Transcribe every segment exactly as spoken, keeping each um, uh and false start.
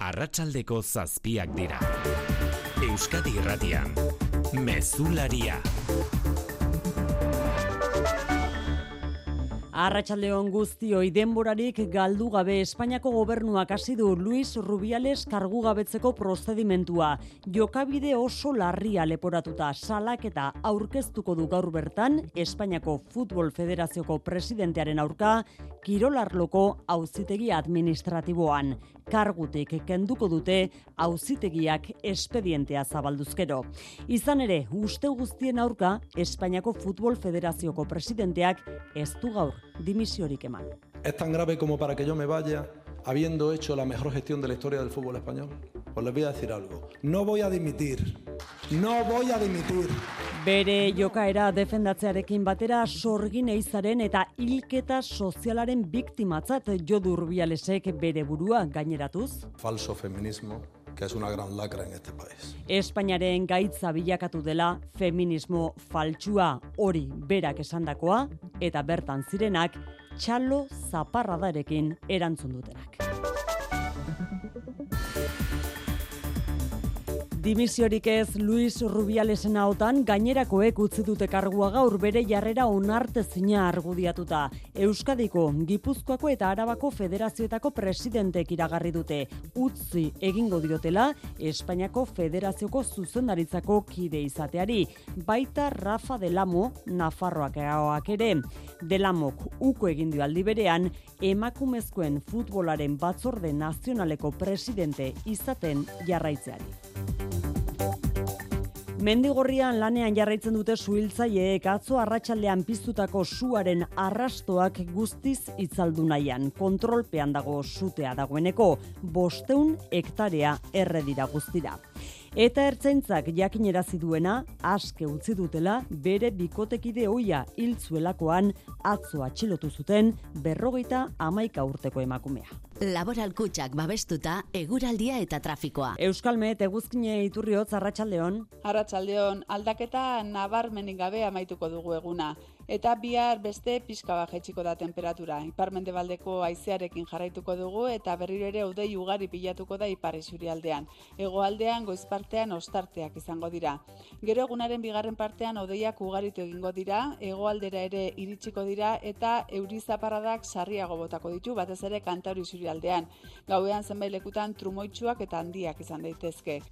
Arratsaldeko zazpiak dira. Euskadi Irratian, Mezularia. Arratsaldeon guztioi, denborarik galdu gabe Espainiako gobernuak hasi du Luis Rubiales kargugabetzeko prozedimentua. Jokabide oso larria leporatuta salaketa aurkeztuko du gaur bertan Espainiako Futbol Federazioko presidentearen aurka kirolarloko auzitegi administratiboan. Kargutik kenduko dute auzitegiak espedientea zabalduzkero. Izan ere, uste guztien aurka Espainiako Futbol Federazioko presidenteak ez du gaur dimisiorik eman. ¿Es tan grave como para que yo me vaya habiendo hecho la mejor gestión de la historia del fútbol español? Pues les voy a decir algo. No voy a dimitir. No voy a dimitir. Bere jokaera defendatzearekin batera sorgin eizaren eta hilketa sozialaren biktimatzat jo du Rubialesek bere burua gaineratuz. Falso feminismo, que es una gran lacra en este país. Espainiaren gaitza bilakatu dela feminismo faltsua, hori berak esandakoa eta bertan zirenak txalo zaparradarekin erantzun dutenak. Dimisiorik ez Luis Rubialesen ahotan gainerakoek utzi dute kargua gaur bere jarrera onartezina argudiatuta. Euskadiko, Gipuzkoako eta Arabako federazioetako presidentek iragarri dute. Utzi egingo diotela Espainiako Federazioko zuzendaritzako kide izateari. Baita Rafa Delamo, Nafarroakoak ere. Delamok uko egin dio aldi berean emakumezkoen futbolaren batzorde nazionaleko presidente izaten jarraitzeari. Mendigorrian lanean jarraitzen dute suhiltzaileek atzo arratsaldean piztutako suaren arrastoak guztiz itzaldu nahian. Kontrolpean dago sutea dagoeneko, bostehun hektarea erre dira guztira. Eta ertzaintzak jakinerazi duena aske utzi dutela bere bikotekide ohia hil zuelakoan atzo atxilotu zuten berrogeita hamaika urteko emakumea. Laboral Kutxak babestuta eguraldia eta trafikoa. Euskalmet eguzkine iturriotz arratsaldeon. Arratsaldeon, aldaketa nabarmenik gabe amaituko dugu eguna. Eta bihar beste pixka bat jaitsiko da temperatura. Ipar-mendebaldeko haizearekin jarraituko dugu eta berriro ere hodei ugari pilatuko da ipar isurialdean. Hegoaldean goiz partean ostarteak izango dira. Gero egunaren bigarren partean hodeiak ugaritu egingo dira, hegoaldera ere iritsiko dira eta euri zaparradak sarriago botako ditu, batez ere Kantauri isurialdean. Gauean zenbait lekutan trumoitsuak eta handiak izan daitezke.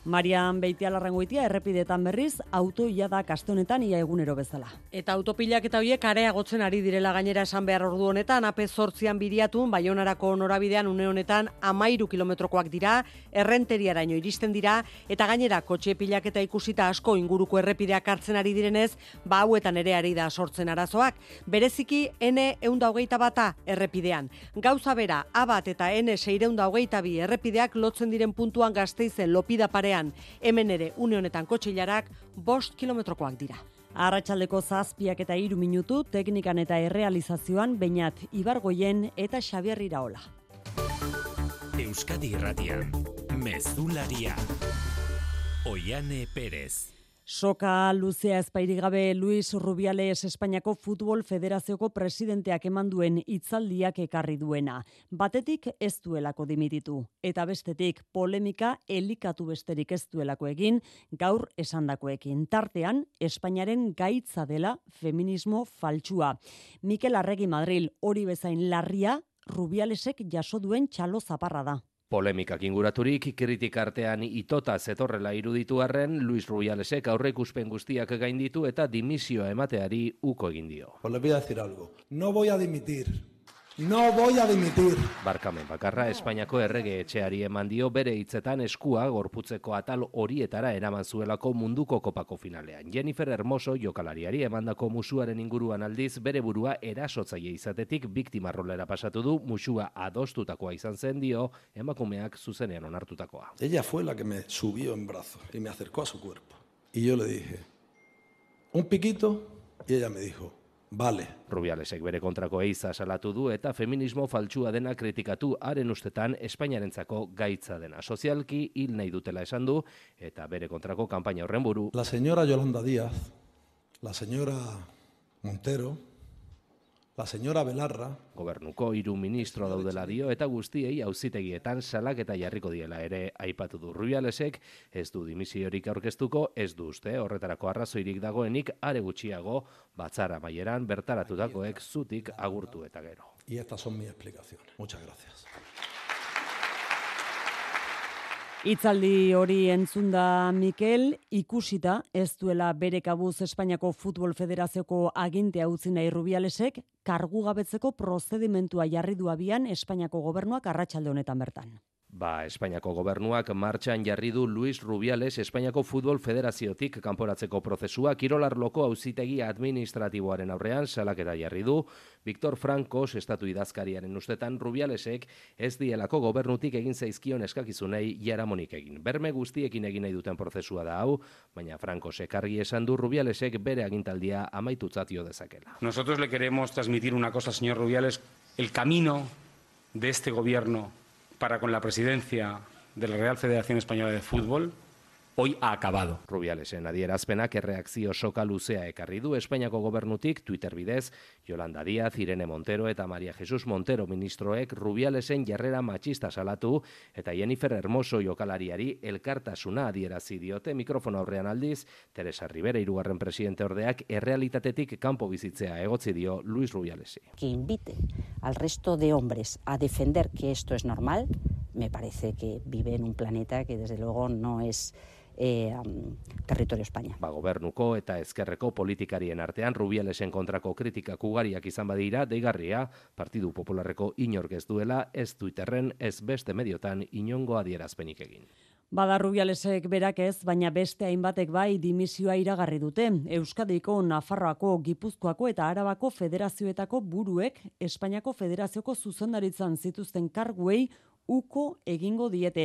Marian Beitialarrangoitia errepidetan berriz, autoia da kaste honetan ia egunero bezala. Eta autopilak eta hoiek areagotzen ari direla gainera esan behar ordu honetan, A P zortzian biriatun, Baionarako norabidean une honetan amairu kilometrokoak dira, errenteriaraino iristen dira, eta gainera kotxe pilaketa ikusita asko inguruko errepideak hartzen ari direnez, ba hauetan ere ari da sortzen arazoak. Bereziki N ehun eta hogeita bata errepidean. Gauza bera, A bat eta N seiehun eta hogeita bi errepideak lotzen diren puntuan Gasteizen lopida parean. Hemen ere une honetan kotxilarak bost kilometrokoak dira. Arratsaldeko zazpiak eta hiru minutu teknikan eta errealizazioan Beñat Ibargoien eta Xabier Iraola. Euskadi Irratian, Mezularia. Oiane Perez. Soka luzea ezpairik gabe Luis Rubiales Espainiako Futbol Federazioko presidenteak eman duen hitzaldiak ekarri duena. Batetik ez duelako dimititu, eta bestetik polemika elikatu besterik ez duelako egin gaur esandakoekin. Tartean, Espainiaren gaitza dela feminismo faltsua. Mikel Arregi Madril hori bezain larria Rubialesek jaso duen txalo zaparra da. Polemikak inguraturik, kritikartean itota zetorrela iruditu arren, Luis Rubialesek aurreikuspen guztiak gainditu eta dimisioa emateari uko egin dio. Pues les voy a decir algo. No voy a dimitir. No voy a dimitir. Barkamen bakarra Espainiako errege etxeari eman dio bere hitzetan eskua gorputzeko atal horietara eraman zuelako munduko kopako finalean. Jennifer Hermoso jokalariari emandako musuaren inguruan aldiz bere burua erasotzaile izatetik biktima rolera pasatu du, musua adostutakoa izan zen dio emakumeak zuzenean onartutakoa. Ella fue la que me subió en brazos y me acercó a su cuerpo. Y yo le dije, un piquito, y ella me dijo, vale. Rubialesek bere kontrako eiza salatu du eta feminismo faltsua dena kritikatu haren ustetan Espainiarentzako gaitza dena. Sozialki hil nahi dutela esan du eta bere kontrako kanpaina horren buru. La señora Yolanda Díaz, la señora Montero, La señora Belarra. Gobernuko hiru ministro daudela dio eta guztiei auzitegietan salaketa jarriko diela ere aipatu du. Rubialesek ez du dimisiorik aurkeztuko, ez du uste horretarako arrazoirik dagoenik, are gutxiago batzar amaieran bertaratutakoek zutik agurtu eta gero. Y estas son mis explicaciones. Muchas gracias. Hitzaldi hori entzunda Mikel, ikusita ez duela bere kabuz Espainiako Futbol Federazioko agintea utzi nahi Rubialesek, kargugabetzeko prozedimentua jarri du abian Espainiako gobernuak arratsalde honetan bertan. Ba, Espainiako gobernuak martxan jarri du Luis Rubiales Espainiako Futbol Federaziotik kanporatzeko prozesua kirolarloko auzitegi administratiboaren aurrean salaketa jarri du. Victor Francos, estatu idazkariaren ustetan, Rubialesek ez dielako gobernutik egin zaizkion eskakizunei jaramonik egin. Berme guztiekin egin nahi duten prozesua da hau, baina Francosek argi esan du Rubialesek bere agintaldia amaitutzat jo dezakela. Nosotros le queremos transmitir una cosa, señor Rubiales, el camino de este gobierno para con la presidencia de la Real Federación Española de Fútbol hoy ha acabado. Rubialesen adierazpenak erreakzio soka luzea ekarri du Espainiako gobernutik Twitter bidez, Yolanda Díaz, Irene Montero eta María Jesús Montero ministroek Rubialesen jarrera matxista salatu eta Jennifer Hermoso jokalariari elkartasuna adierazi diote. Mikrofono aurrean aldiz, Teresa Rivera hirugarren presidente ordeak errealitatetik kanpo bizitzea egotzi dio Luis Rubialesi. Que invite al resto de hombres a defender que esto es normal, me parece que vive en un planeta que desde luego no es Eh, um, territorio España. Ba, gobernuko eta ezkerreko politikarien artean Rubialesen kontrako kritikak ugariak izan badira, deigarria, Partidu Popularreko inork ez duela, ez Twitterren, ez beste mediotan inongo adierazpenik egin. Bada Rubialesek berak ez, baina beste hainbatek bai dimisioa iragarri dute. Euskadiko, Nafarroako, Gipuzkoako eta Arabako federazioetako buruek Espainiako Federazioko zuzendaritzan zituzten karguei uko egingo diete.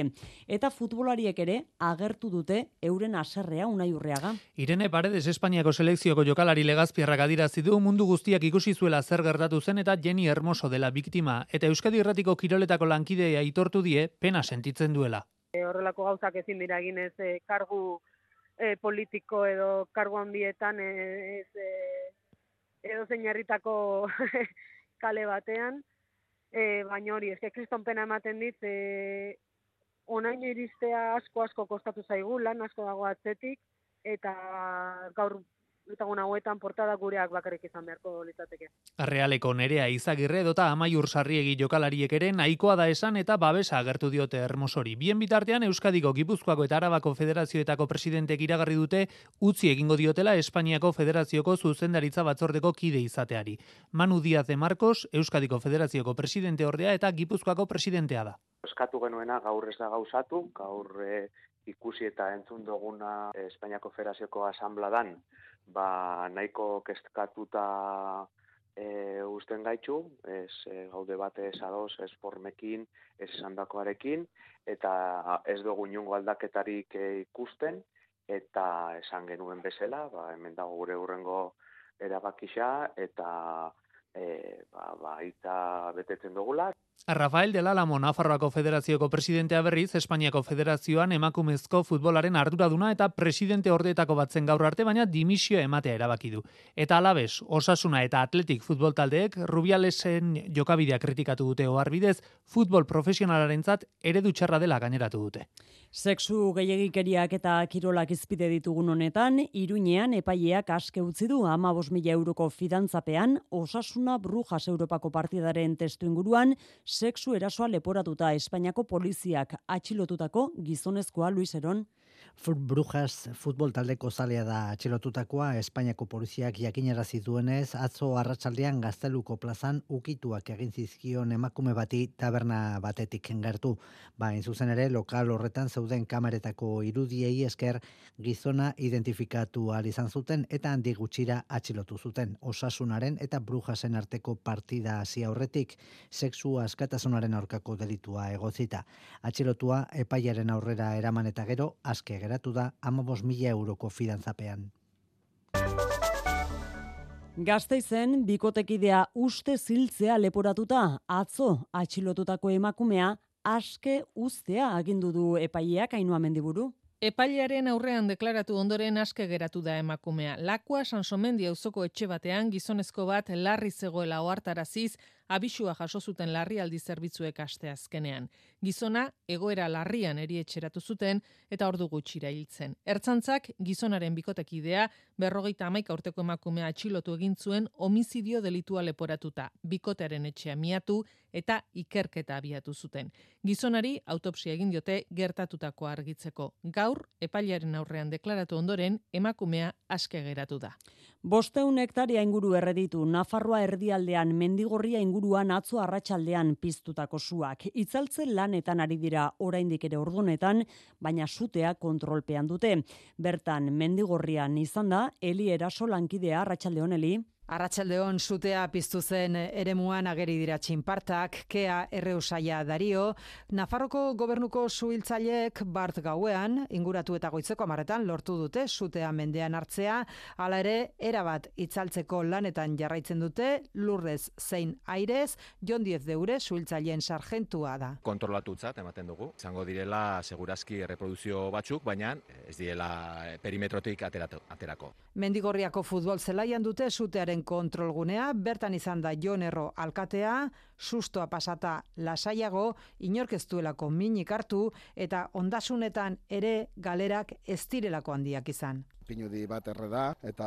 Eta futbolariek ere agertu dute euren haserrea Unai Urreaga. Irene Paredes Espainiako selekzioko jokalari Legazpiarrak adirazi du mundu guztiak ikusi zuela zer gertatu zen eta Jenny Hermoso dela biktima eta Euskadi Irratiko kiroletako lankidea aitortu die pena sentitzen duela. E, horrelako gauzak ezin dira egin ez e, kargu e, politiko edo kargu handietan e, ez e, edo zein herritako kale batean. E, baina hori, eske kriston pena ematen dit, e, onaino iristea asko-asko kostatu zaigu, lan asko dago atzetik, eta gaur etagun hauetan portada gureak bakarrik izan beharko litzateke. Realeko Nerea Izagirre edota Amaiur Sarriegi jokalariek ere nahikoa da esan eta babesa agertu diote Hermosori. Bien bitartean Euskadiko, Gipuzkoako eta Arabako federazioetako presidentek iragarri dute utzi egingo diotela Espainiako Federazioko zuzendaritza batzordeko kide izateari. Manu Díaz de Marcos, Euskadiko Federazioko presidente ordea eta Gipuzkoako presidentea da. Eskatu genuena gaur ez da gauzatu, gaur e, ikusi eta entzun duguna Espainiako Federazioko asambladan, ba nahiko kezkatuta e, usten gaitxu, ez e, gaude batez ados, ez formekin, ez esandakoarekin, eta ez dugu inongo aldaketarik e, ikusten, eta esan genuen bezala, ba, hemen dago gure hurrengo erabakisa, eta e, ba, ba, itza betetzen dugula. Rafael del Álamo Nafarroako Federazioko presidentea berriz, Espainiako Federazioan emakumezko futbolaren arduraduna eta presidente ordeetako batzen gaur arte, baina dimisioa ematea erabaki du. Eta alabez, Osasuna eta Atletik futbol taldeek Rubialesen jokabidea kritikatu dute oharbidez, futbol profesionalarentzat eredu txarra dela gaineratu dute. Sexu gehiegikeriak eta kirolak izpide ditugun honetan, Iruñean epaileak aske utzi du hamabost mila euroko fidantzapean, Osasuna Brujas Europako partidaren testu inguruan, sexu erasoa leporatuta Espainiako poliziak atxilotutako gizonezkoa Luis Heron. Brujas futbol taldeko zalea da atxilotutakoa. Espainiako poliziak jakinarazi duenez, atzo arratsaldean Gazteluko plazan ukituak egin zizkion emakume bati taberna batetik gertu. Ba, in zuzen ere, lokal horretan zeuden kameretako irudiei esker gizona identifikatu ahal izan zuten eta handi gutxira atxilotu zuten. Osasunaren eta Brujasen arteko partida hasi aurretik sexu askatasunaren aurkako delitua egotzita. Atxilotua epaiaren aurrera eraman eta gero aske geratu da hamabost mila euroko fidantzapean. Gasteizen bikotekidea uste ziltzea leporatuta atzo atxilotutako emakumea aske uztea agindu du epaileak Ainhoa Mendiburu. Epailearen aurrean deklaratu ondoren aske geratu da emakumea. Lakua Sansomendi auzoko etxe batean gizonezko bat larri zegoela ohartaraziz abisua jaso zuten larrialdi zerbitzuek asteazkenean. Gizona egoera larrian erietxeratu zuten eta ordu gutxira hiltzen. Ertzaintzak gizonaren bikotekidea berrogeita hamaika urteko emakumea atxilotu egin zuen homizidio delitua leporatuta. Bikotearen etxea miatu eta ikerketa abiatu zuten. Gizonari autopsia egin diote gertatutako argitzeko. Gaur, epailearen aurrean deklaratu ondoren, emakumea aske geratu da. Bosteun hektaria inguru erreditu, Nafarroa erdialdean Mendigorria inguruan atzo arratsaldean piztutako suak. Itzaltzen lanetan ari dira oraindik ere ordunetan, baina sutea kontrolpean dute. Bertan Mendigorrian izan da, Eli Eraso lankidea, arratsalde on Eli. Arratsaldeon sutea piztu zen eremuan ageri dira txinpartak, Kea Erreusaia Dario, Nafarroko gobernuko suhiltzaileek bart gauean, inguratu eta goitzeko amaretan lortu dute sutea mendean hartzea, hala ere, erabat itzaltzeko lanetan jarraitzen dute, lurrez zein airez, Jon Diez Deure suhiltzaileen sargentua da. Kontrolatutzat ematen dugu, izango direla segurazki erreproduzio batzuk, baina ez direla perimetrotik aterako. Mendigorriako futbol zelaian dute sutearen kontrolgunea, bertan izan da Jon Erro alkatea, sustoa pasata lasaiago, inork ez duelako minik hartu eta ondasunetan ere galerak ez direlako handiak izan. Pinudi bat erre da, eta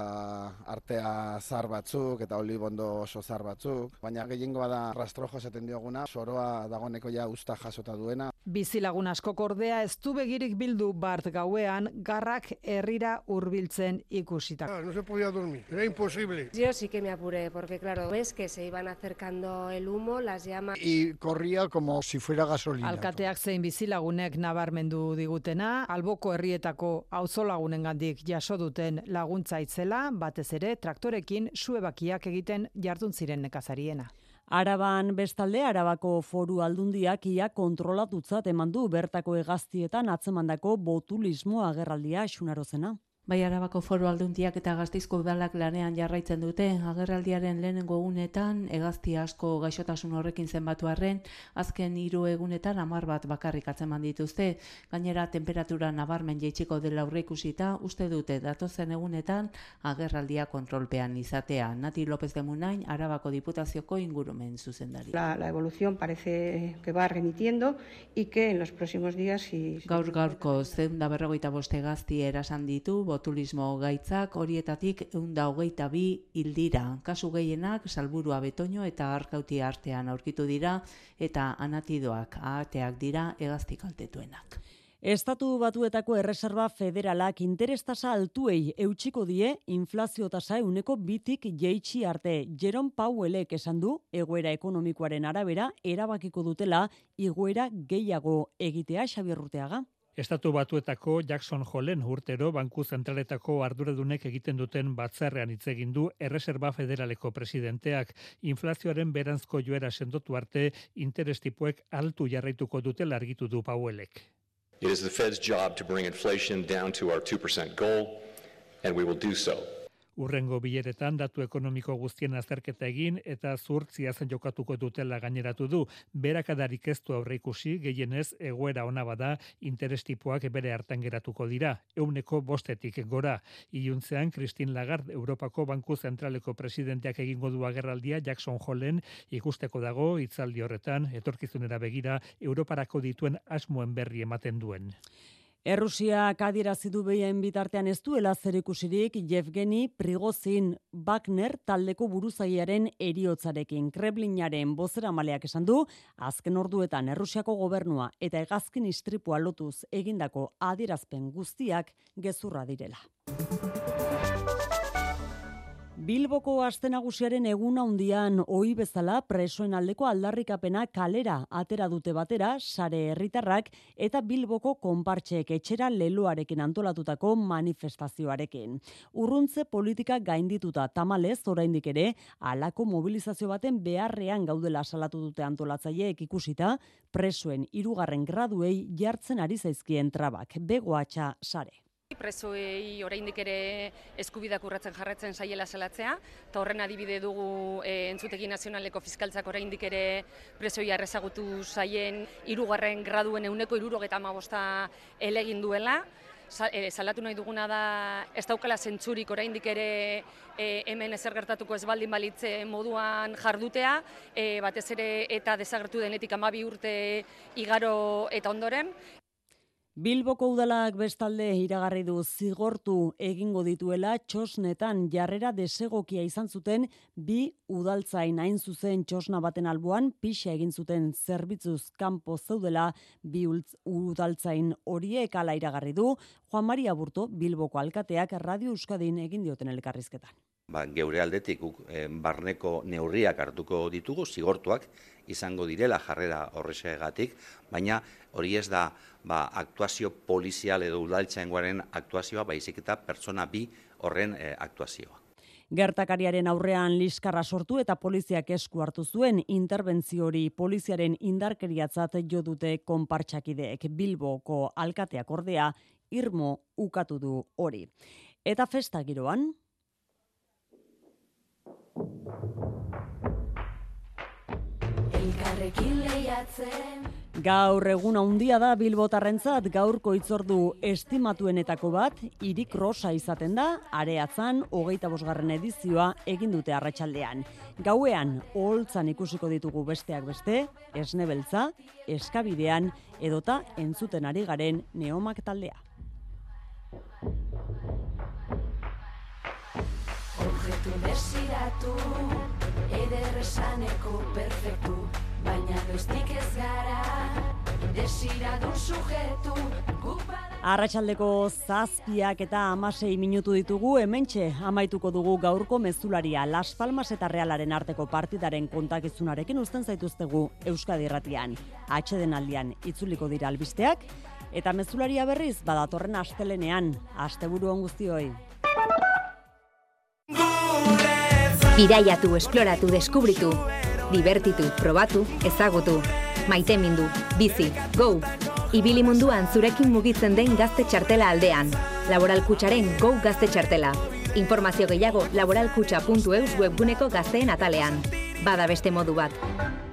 artea zar batzuk, eta olibondo oso zar batzuk, baina gehiengoa da rastrojo esaten dioguna, soroa dagoneko ja usta jasota duena. Bizilagun askok ordea ez du begirik bildu bart gauean, garrak herrira hurbiltzen ikusita. No se podía dormir, era imposible. Yo sí que me apuré, porque claro, ves que se iban acercando el humo, las llamas... Y corría como si fuera gasolina. Alkateak zein bizilagunek nabarmendu digutena, alboko herrietako auzolagunengandik jaso duten laguntza itzela, batez ere traktorekin suebakiak egiten jardun ziren nekazariena. Araban bestalde, Arabako Foru Aldundiak ia kontrolatutzat eman du bertako hegaztietan atzemandako botulismo agerraldia Xunarozena. Bai, Arabako Foru Aldundiak eta Gasteizko udalak lanean jarraitzen dute, agerraldiaren lehenengo egunetan, hegazti asko gaixotasun horrekin zenbatu arren, azken hiru egunetan hamar bat bakarrik atzeman dituzte, gainera temperatura nabarmen jaitsiko dela aurreikusita, uste dute datozen egunetan agerraldia kontrolpean izatea. Nati López de Munain, Arabako Diputazioko ingurumen zuzendari. La, la evolución parece que va remitiendo y que en los próximos días... Si... Gaur gaurko zeun da berrogeita bost hegazti erasan ditu, botulismo gaitzak horietatik ehun eta hogeita bi hildira. Kasu gehienak Salburua Betoño eta Arkauti artean aurkitu dira eta anatidoak ahateak dira hegazti kaltetuenak. Estatu Batuetako Erreserba Federalak interestasa altuei eutxiko die inflazio tasa ehuneko bitik jaitsi arte. Jerome Powellek esan du egoera ekonomikoaren arabera erabakiko dutela igoera gehiago egitea. Xabier Urteaga. Estatu Batuetako Jackson Holen urtero Banku Zentraletako arduradunek egiten duten batzarrean hitz egin du Erreserba Federaleko presidenteak. Inflazioaren beranzko joera sendotu arte interestipoek altu jarraituko dutela argitu du Powellek. It is the Fed's job to bring inflation down to our two percent goal, and we will do so. Urrengo bileretan datu ekonomiko guztien azterketa egin eta zuhurtzia zen jokatuko dutela gaineratu du. Berakadarik ez du aurreikusi, gehienez egoera ona bada interestipoak bere hartan geratuko dira. Ehuneko bostetik gora. Iluntzean, Christine Lagarde, Europako Banku Zentraleko presidenteak egingo du agerraldia Jackson Holen ikusteko dago hitzaldi horretan, etorkizunera begira, Europarako dituen asmoen berri ematen duen. Errusiak adierazi du behien bitartean ez duela zerikusirik Yevgeni Prigozhin Wagner taldeko buruzaiaren eriotzarekin. Kremlinaren bozeramaleak esan du, azken orduetan Errusiako gobernua eta hegazkin istripua lotuz egindako adierazpen guztiak gezurra direla. Bilboko aste nagusiaren eguna handian ohi bezala presoen aldeko aldarrikapena kalera atera dute batera sare herritarrak eta Bilboko konpartxeek etxera leloarekin antolatutako manifestazioarekin. Urruntze politika gaindituta tamalez oraindik ere halako mobilizazio baten beharrean gaudela salatu dute antolatzaileek ikusita presoen hirugarren graduei jartzen ari zaizkien trabak. Begoatxa sare. Presoei oraindik ere eskubideak urratzen jarraitzen saiela salatzea, eta horren adibide dugu e, Entzutegi Nazionaleko Fiskaltzak oraindik ere presoei arrezagutu saien hirugarren graduen ehuneko hirurogeita hamabosta elegin duela. salatu nahi duguna da ez daukala zentzurik oraindik ere e, hemen ezer gertatuko ez baldin balitze moduan jardutea, e, batez ere eta desagertu denetik hamabi urte igaro eta ondoren. Bilboko udalak bestalde iragarri du zigortu egingo dituela txosnetan jarrera desegokia izan zuten bi udaltzain, hain zuzen txosna baten alboan pixa egin zuten zerbitzuz kanpo zeudela bi udaltzain horiek, hala iragarri du Juan Maria Burto Bilboko alkateak Radio Euskadin egin dioten elkarrizketan. Ba, geure aldetik eh, barneko neurriak hartuko ditugu, zigortuak izango direla jarrera horrexegatik, baina hori ez da ba, aktuazio polizial edo udaltzaingoaren aktuazioa, baizik eta pertsona bi horren eh, aktuazioa. Gertakariaren aurrean liskarra sortu eta poliziak esku hartu zuen interbentzio hori poliziaren indarkeriatzat jo dute konpartsakideek. Bilboko alkateak ordea irmo ukatu du hori. Eta festa giroan Elkarrekin lehiatzen. Gaur egun handia da bilbotarrentzat, gaurko hitzordu estimatuenetako bat, hirik rosa izaten da, Areatzan hogeita bosgarren edizioa egin dute arratsaldean. Gauean oholtzan ikusiko ditugu besteak beste, Esne Beltza, Eskabidean edota entzuten ari garen Neomak taldea. Objektu desiratu, ederresaneko perfektu, baina noiztik ez gara, desiradun sujetu. Arratsaldeko zazpiak eta hamasei minutu ditugu, hementxe amaituko dugu gaurko mezularia. Las Palmas eta Realaren arteko partidaren kontakizunarekin uzten zaituztegu Euskadi Irratian. Atsedenaldian itzuliko dira albisteak, eta mezularia berriz badatorren astelenean. Asteburu on guztioi. Bidaiatu, esploratu, deskubritu, divertitu, probatu, ezagutu, maitemindu, bizi, go! Ibili munduan zurekin mugitzen den gazte txartela aldean. Laboral Kutxaren Go Gazte Txartela. Informazio gehiago laboralkutxa puntu eus webguneko gazteen atalean. Bada beste modu bat.